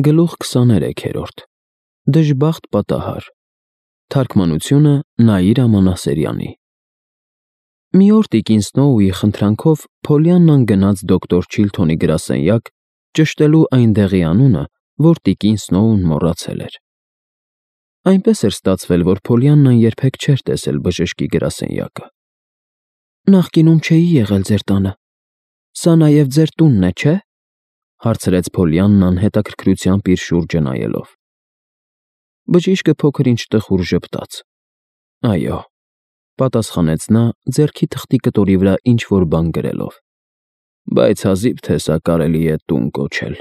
Գլուխ 23-րդ Դժբախտ պատահար Թարգմանությունը Նաիրա Մանասերյանի Մի օր տիկին Սնոուի խնդրանքով Փոլիաննան գնաց դոկտոր Չիլթոնի գրասենյակ ճշտելու այնտեղի անունը, որ տիկին Սնոուն մոռացել էր։ Այնպես էր ստացվել, որ Փոլիաննան երբեք չէր տեսել բժշկի գրասենյակը։ Նախկինում չէի եղել ձեր տանը։ Սա նաև ձեր տունն է, չէ՞, հարցրեց Փոլիաննան հետաքրքրությամբ իր շուրջը նայելով։ Բժիշկը փոքր-ինչ տխուր ժպտաց։ Այո, պատասխանեց նա, ձեռքի թղթի կտորի վրա ինչ-որ բան գրելով։ Բայց հազիվ թե սա կարելի է տուն կոչել։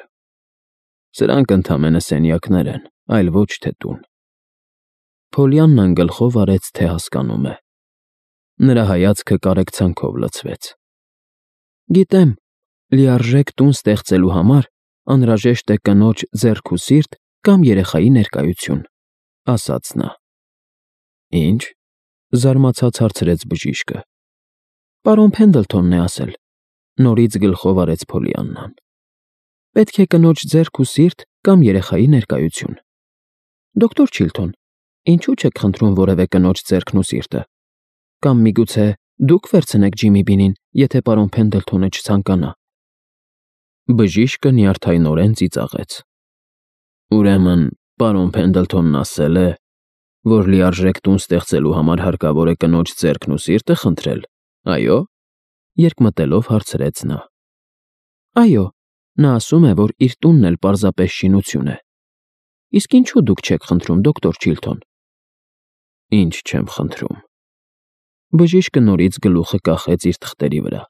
Սրանք ընդամենը սենյակներ են, այլ ոչ թե տուն։ Փոլիաննան գլխով արեց, թե հասկանում է։ Նրա հայացքը կարեկցանքով լցվեց։ Գիտեմ, լիարժեք տուն ստեղծելու համար անհրաժեշտ է կնոջ ձեռք ու սիրտ կամ երեխայի ներկայություն, ասաց նա։ Ինչ, զարմացած հարցրեց բժիշկը։ Պարոն Փենդլթոնն է ասել, նորից գլխով արեց Փոլիաննան։ Պետք է կնոջ ձեռք ու սիրտ կամ երեխայի ներկայություն։ Դոկտոր Չիլթոն, ինչու չեք խնդրում որևէ կնոջ ձեռքն ու սիրտը։ Կամ միգուցե դուք վերցնեք Ջիմի Բինին, եթե պարոն Փենդլթոնը չցանկանա։ Բժիշկը նյարդայնորեն ծիծաղեց։ Ուրեմն, պարոն Փենդլթոնն ասել է, որ լիարժեք տուն ստեղծելու համար հարկավոր է կնոջ ձեռքն ու սիրտը խնդրել, այո՞, երկմտելով հարցրեց նա։ Այո, նա ասում է, որ իր տունն էլ պարզապես շինություն է։ Իսկ ինչու դուք չեք խնդրում, դոկտոր Չիլթոն։ Ինչ չեմ խնդրում։ Բժիշկը նորից գլուխը կախեց իր թղթերի վրա։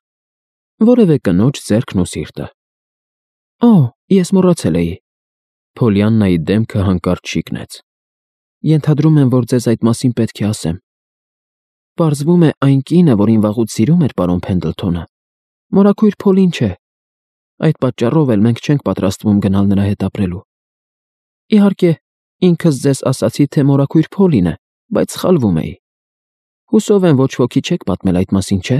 Որևէ կնոջ ձեռքն ու սիրտը։ Օ, ես մոռացել էի։ Փոլիաննայի դեմքը հանկարծ շիկնեց։ Ենթադրում եմ, որ ձեզ այդ մասին պետք է ասեմ։ Պարզվում է այն կինը, որին վաղուց սիրում էր պարոն Փենդլթոնը, մորաքույր Փոլին չէ։ Այդ պատճառով էլ մենք չենք պատրաստվում գնալ նրա հետ ապրելու։ Իհարկե, ինքս ձեզ ասացի, թե մորաքույր Փոլին է, բայց սխալվում էի։ Հուսով եմ, ոչ ոքի չեք պատմել այդ մասին, չէ՞։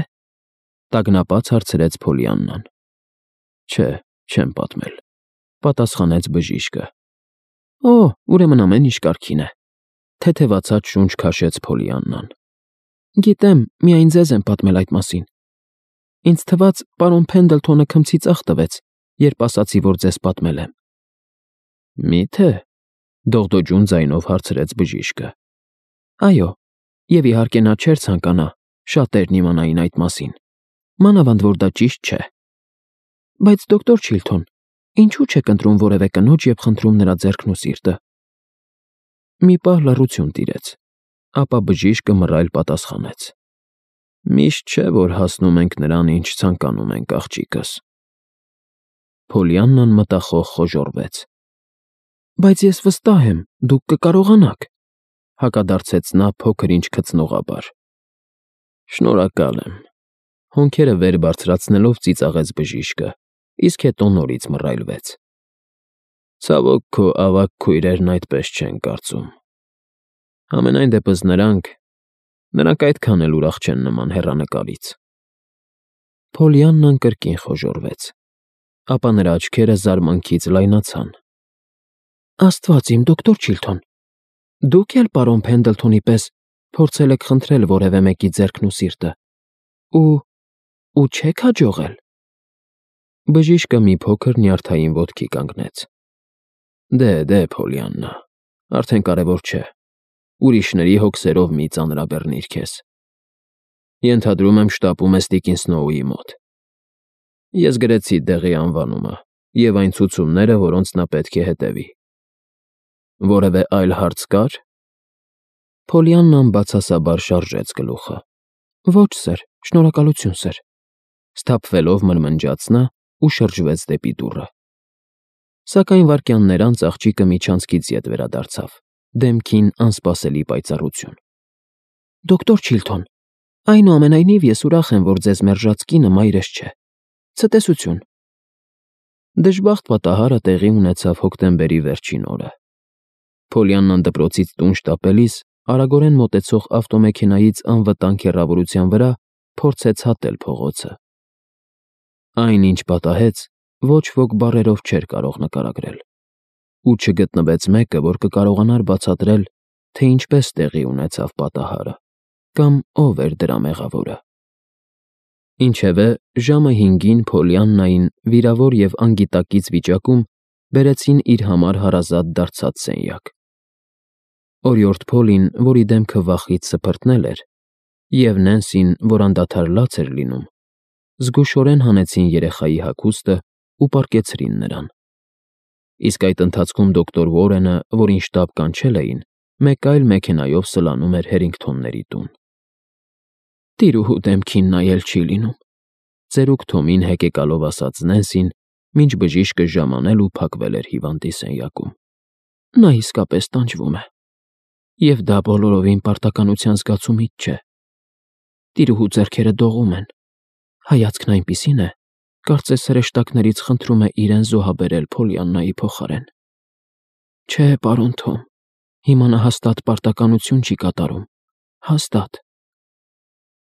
Տագնապած հարցրեց Փոլիաննան։ Չէ, չեմ պատմել, պատասխանեց բժիշկը։ Օ, ուրեմն ամեն ինչ կարգին է։ Թեթևացած շունչ քաշեց Փոլիաննան։ Գիտեմ, միայն ձեզ եմ պատմել այդ մասին։ Ինձ թվաց, պարոն Փենդլթոնը քմցի ծախ տվեց, երբ ասացի, որ ձեզ պատմել եմ։ Մի՞թե, դողդոջուն ձայնով հարցրեց բժիշկը։ Այո, եւ իհարկե նա չէր ցանկանա շատերն իմանային այդ մասին։ Մանավանդ որ դա ճիշտ չէ։ Բայց դոկտոր Չիլթոն, ինչու չեք ընտրում որևէ կնոջ եւ խնդրում նրա ձեռքն ու սիրտը։ Մի պահ լռություն տիրեց, ապա բժիշկը մռայլ պատասխանեց. Միշտ չէ, որ հասնում ենք նրան, ինչ ցանկանում ենք, աղջիկս։ Փոլիաննան մտախոհ խոժոռվեց։ Բայց ես վստահ եմ, դուք կկարողանաք, հակադարձեց նա փոքր-ինչ քծնողաբար։ Շնորհակալ եմ։ Հոնքերը վեր բարձրացնելով ծիծաղեց բժիշկը, իսկ հետո նորից մռայլվեց։ Ցավոք, քո ավագ քույրերն այդպես չեն կարծում։ Համենայն դեպս նրանք այդքան էլ ուրախ չեն նման հեռանկարից։ Փոլիաննան կրկին խոժոռվեց, ապա նրա աչքերը զարմանքից լայնացան։ Աստված իմ, դոկտոր Չիլթոն, դուք էլ պարոն Փենդլթոնի պես փորձել եք խնդրել որևէ մեկի ձեռքն ու սիրտը։ Ու չեք հաջողել։ Բժիշկը մի փոքր նյարդային ոտքի կանգնեց։ Դե, Փոլիաննա, արդեն կարևոր չէ։ Ուրիշների հոգսերով մի ծանրաբեռնիր քեզ։ Ենթադրում եմ շտապում ես տիկին Սնոուի մոտ։ Ես գրեցի դեղի անվանումը եւ այն ցուցումները, որոնց նա պետք է հետևի։ Որևէ այլ հարց կար։ Փոլիաննան բացասաբար շարժեց գլուխը։ Ոչ, սեր, շնորհակալություն, սեր։ Սթափվելով մրմնջաց նա ու շրջվեց դեպի դուռը։ Սակայն վայրկյաններ անց աղջիկը միջանցքից ետ վերադարձավ, դեմքին անսպասելի պայծառություն։ Դոկտոր Չիլթոն, այնուամենայնիվ ես ուրախ եմ, որ ձեզ մերժած կինը մայրս չէ։ Ցտեսություն։ Դժբախտ պատահարը տեղի ունեցավ հոկտեմբերի վերջին օրը։ Փոլիաննան դպրոցից տուն շտապելիս արագորեն մոտեցող ավտոմեքենայից անվտանգ հեռավորության վրա փորձեց հատել փողոցը։ Այն, ինչ պատահեց, ոչ ոք բառերով չէր կարող նկարագրել։ ու չգտնվեց մեկը, որ կկարողանար բացատրել, թե ինչպես տեղի ունեցավ պատահարը, կամ ով էր դրա մեղավորը։ Ինչևէ, ժամը 5-ին Փոլիաննային վիրավոր և անգիտակից վիճակում բերեցին իր համար հարազատ դարձած սենյակ։ Օրիորդ Փոլին, որի դեմքը վախից սփռտնել էր, և Նենսին, որ անդադար լաց էր լինում, զգուշորեն հանեցին երեխայի հագուստը ու պառկեցրին նրան։ Իսկ այդ ընթացքում դոկտոր Ուորենը, որին շտապ կանչել էին, մեկ այլ մեքենայով սլանում էր Հերինգթոնների տուն։ «Տիրուհու դեմքին նայել չի լինում», ծերուկ Թոմին հեկեկալով ասաց Նենսին, մինչ բժիշկը ժամանել ու փակվել էր հիվանդի սենյակում։ «Նա իսկապես տանջվում է, և դա բոլորովին պարտականության զգացումից չէ։ Տիրուհու ձեռքերը դողում են, հայացքն այնպիսին է, կարծես հրեշտակներից խնդրում է իրեն զոհաբերել Փոլիաննայի փոխարեն։ Չէ, պարոն Թոմ, հիմա նա հաստատ պարտականություն չի կատարում, հաստատ»։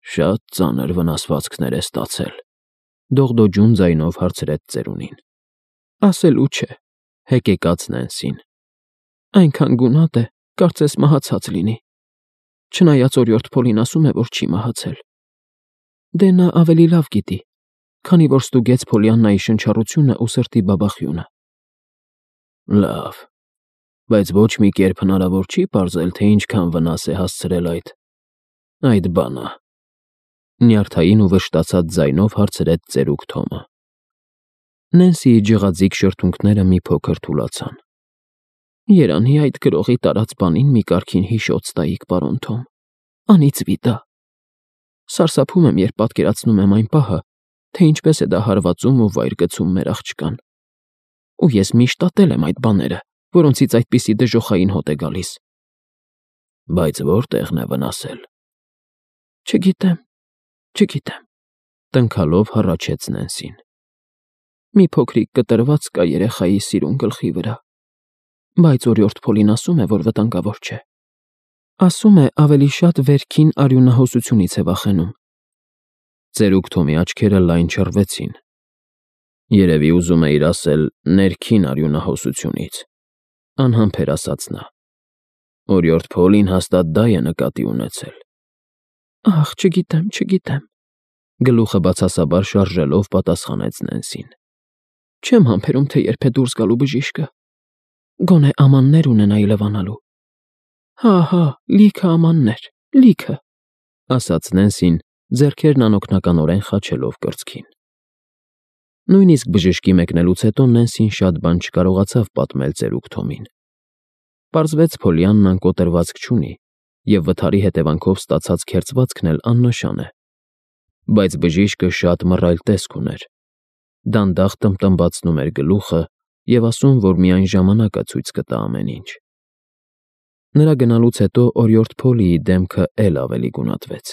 «Շատ ծանր վնասվածքներ է ստացել», դողդոջուն ձայնով հարցրեց ծերունին։ «Ասելու չէ», հեկեկաց Նենսին։ «Այնքան գունատ է, կարծես մահացած լինի, չնայած օրիորդ Փոլին ասում է, որ չի մահացել։ Դե նա ավելի լավ գիտի, քանի որ ստուգեց Փոլիաննայի շնչառությունը ու սրտի բաբախյունը»։ «Լավ, բայց ոչ մի կերպ հնարավոր չի պարզել, թե ինչքան վնաս է հասցրել այդ բանը», նյարդային ու վշտացած ձայնով հարցրեց ծերուկ Թոմը։ Նենսիի ջղաձիգ շրթունքները մի փոքր թուլացան։ «Երանի այդ գրողի տարած բանին մի կարգին հիշոց տայիք, պարոն Թոմ, անիծվի դա։ Սարսափում եմ, երբ պատկերացնում եմ այն պահը, թե ինչպես է դա հարվածում ու վայր գցում մեր աղջկան։ Ու ես միշտ ատել եմ այդ բաները, որոնցից այդպիսի դժոխային հոտ է գալիս»։ «Բայց որտեղն է վնասել»։ Չգիտեմ, տնքալով հառաչեց Նենսին։ «Մի փոքրիկ կտրված կա երեխայի սիրուն գլխի վրա, բայց օրիորդ Փոլին ասում է, որ վտանգավոր չէ։ Ասում է, ավելի շատ վերքին արյունահոսությունից է վախենում»։ Ծերուկ Թոմի աչքերը լայն չռվեցին։ «Երևի ուզում էիր ասել ներքին արյունահոսությունից», անհամբեր ասաց նա։ «Օրիորդ Փոլին հաստատ դա է նկատի ունեցել»։ «Ախ, չգիտեմ», գլուխը բացասաբար շարժելով պատասխանեց Նենսին։ «Չեմ համբերում, թե երբ է դուրս գալու բժիշկը։ Գոնե ամաններ ունենա իլվանալու»։ Հա, լիքը ամաններ, լիքը», ասաց Նենսին, ձեռքերն անօգնականորեն խաչելով կրծքին։ Նույնիսկ բժշկի մեկնելուց հետո Նենսին շատ բան չկարողացավ պատմել ծերուկ Թոմին։ Պարզվեց Փոլիաննան կոտրվածք չունի, և վթարի հետևանքով ստացած քերծվածքն էլ աննշան է։ Բայց բժիշկը շատ մռայլ տեսք ուներ, դանդաղ տմտմբացնում էր գլուխը և ասում, որ միայն ժամանակը ցույց կտա ամեն ինչ։ Նրա գնալուց հետո օրիորդ Փոլիի դեմքը էլ ավելի գունատվեց։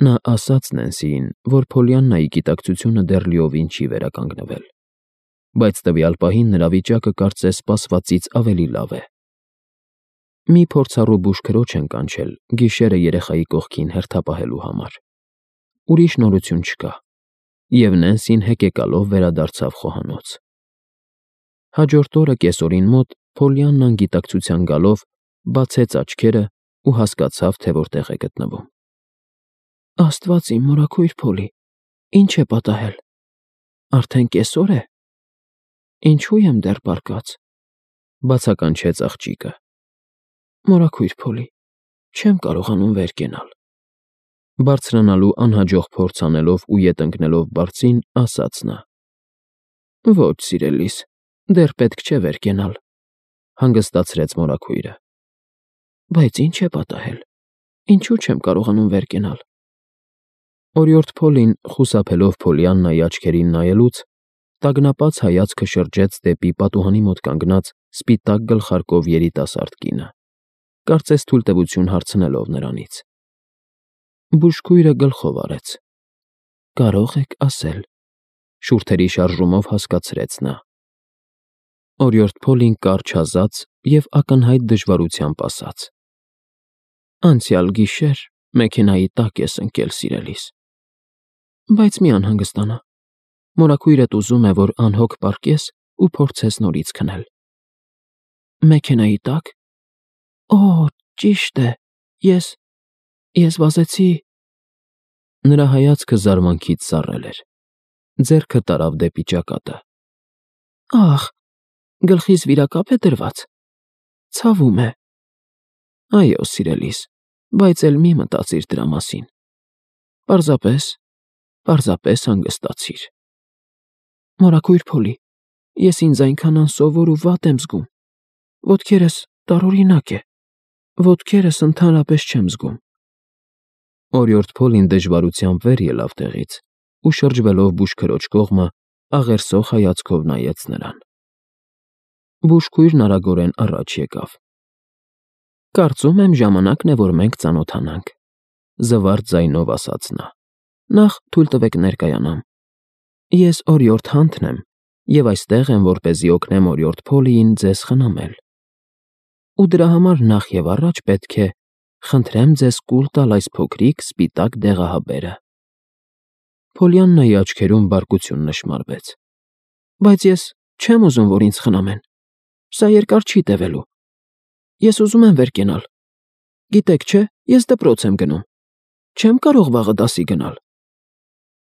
Նա ասաց Նենսիին, որ Փոլիաննայի գիտակցությունը դեռ լիովին չի վերականգնվել, բայց տվյալ պահին նրա վիճակը կարծես սպասվածից ավելի լավ է։ Մի փորձառու բուժքրոջ են կանչել գիշերը երեխայի կողքին հերթապահելու համար։ Ուրիշ նորություն չկա, և Նենսին հեկեկալով վերադարձավ խոհանոց։ Հաջորդ օրը կեսօրին մոտ Փոլիաննան գիտակցության գալով բացեց աչքերը ու հասկացավ, թե որտեղ է գտնվում։ «Աստված իմ, մորաքույր Փոլի, ինչ է պատահել։ Արդեն կեսօր է։ Ինչու եմ դեռ պառկած», բացականչեց աղջիկը։ «Մորաքույր Փոլի, չեմ կարողանում վեր կենալ»։ Բարձրանալու անհաջող փորձ անելով ու ետ ընկնելով բարձին, ասաց նա։ «Ոչ, սիրելիս, դեռ պետք չէ վեր կենալ», հանգստացրեց մորաքույրը։ «Բայց ինչ է պատահել, ինչու չեմ կարողանում վեր կենալ»։ Օրիորդ Փոլին, խուսափելով Փոլիաննայի աչքերին նայելուց, տագնապած հայացքը շրջեց դեպի պատուհանի մոտ կանգնած սպիտակ գլխարկով երիտասարդ կինը, կարծես թույլտվություն հարցնելով նրանից։ Բուժքույրը գլխով արեց։ «Կարող եք ասել», շուրթերի շարժումով հասկացրեց նա։ Օրիորդ Փոլին կարճ-հազաց և ակնհայտ դժվարությամբ ասաց. «Անցյալ գիշեր մեքենայի տակ ես ընկել, սիրելիս։ Բայց մի անհանգստանա, մորաքույրդ ուզում է, որ անհոգ պառկես ու փորձես նորից քնել»։ Մեքենայի տակ։ Օ, ճիշտ է։ Ես վազեցի։ Նրա հայացքը զարմանքից սառել էր։ Ձեռքը տարավ դեպի ճակատը։ Ախ, գլխիս վիրակապ է դրված։ Ցավում է։ Այո, սիրելիս, բայց էլ մի մտածիր դրա մասին։ Պարզապես հանգստացիր։ Մորաքույր Փոլի, ես ինձ այնքան անսովոր ու վատ եմ զգում։ Ոտքերս տարօրինակ է։ Ոտքերս ընդհանրապես չեմ զգում։ Օրիորդ Փոլին դժվարությամբ վեր ելավ տեղից ու շրջվելով բուժքրոջ կողմը աղերսող հայացքով նայեց նրան։ Բուժքույրն արագորեն առաջ եկավ։ Կարծում եմ ժամանակն է, որ մենք ծանոթանանք, զվարթ ձայնով ասաց նա։ Նախ թույլ տվեք ներկայանամ։ Ես օրիորդ Հանթն եմ և այստեղ եմ, որպեսզի օգնեմ օրիորդ Փոլիին ձեզ խնամել։ Ու դրա համար նախ և առաջ պետք է խնդրեմ ձեզ կուլ տալ այս փոքրիկ սպիտակ դեղահաբերը։ Փոլիաննայի աչքերում բարկություն նշմարվեց։ Բայց ես չեմ ուզում, որ ինձ խնամեն։ Սա երկար չի տևելու։ Ես ուզում եմ վեր կենալ։ Գիտեք, չէ, ես դպրոց եմ գնում։ Չեմ կարող վաղը դասի գնալ։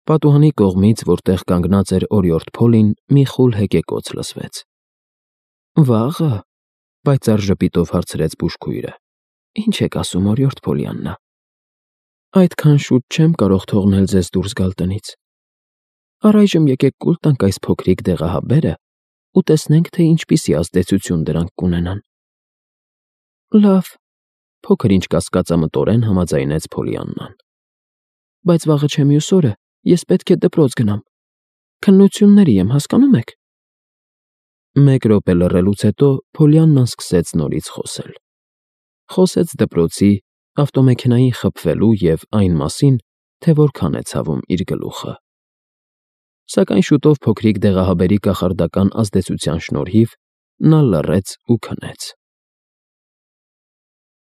Պատուհանի կողմից, որտեղ կանգնած էր օրիորդ Փոլին, մի խուլ հեկեկոց լսվեց։ Վաղը, պայծառ ժպիտով հարցրեց բուժքույրը։ Ինչ եք ասում, օրիորդ Փոլիաննա։ Այդքան շուտ չեմ կարող թողնել ձեզ դուրս գալ տնից։ Առայժմ եկեք կուլ տանք այս փոքրիկ դեղահաբերը ու տեսնենք, թե ինչպիսի ազդեցություն դրանք կունենան։ Լավ, փոքր-ինչ կասկածամտորեն համաձայնեց Փոլիաննան։ Բայց վաղը չէ մյուս օրը ես պետք է դպրոց գնամ։ Քննությունների եմ, հասկանում եք։ Մեկ րոպե լռելուց հետո Փոլիաննան սկսեց նորից խոսել։ Խոսեց դպրոցի, ավտոմեքենային խփվելու և այն մասին, թե որքան է ցավում իր գլուխը։ Սակայն շուտով փոքրիկ դեղահաբերի կախարդական ազդեցության շնորհիվ նա լռեց ու քնեց։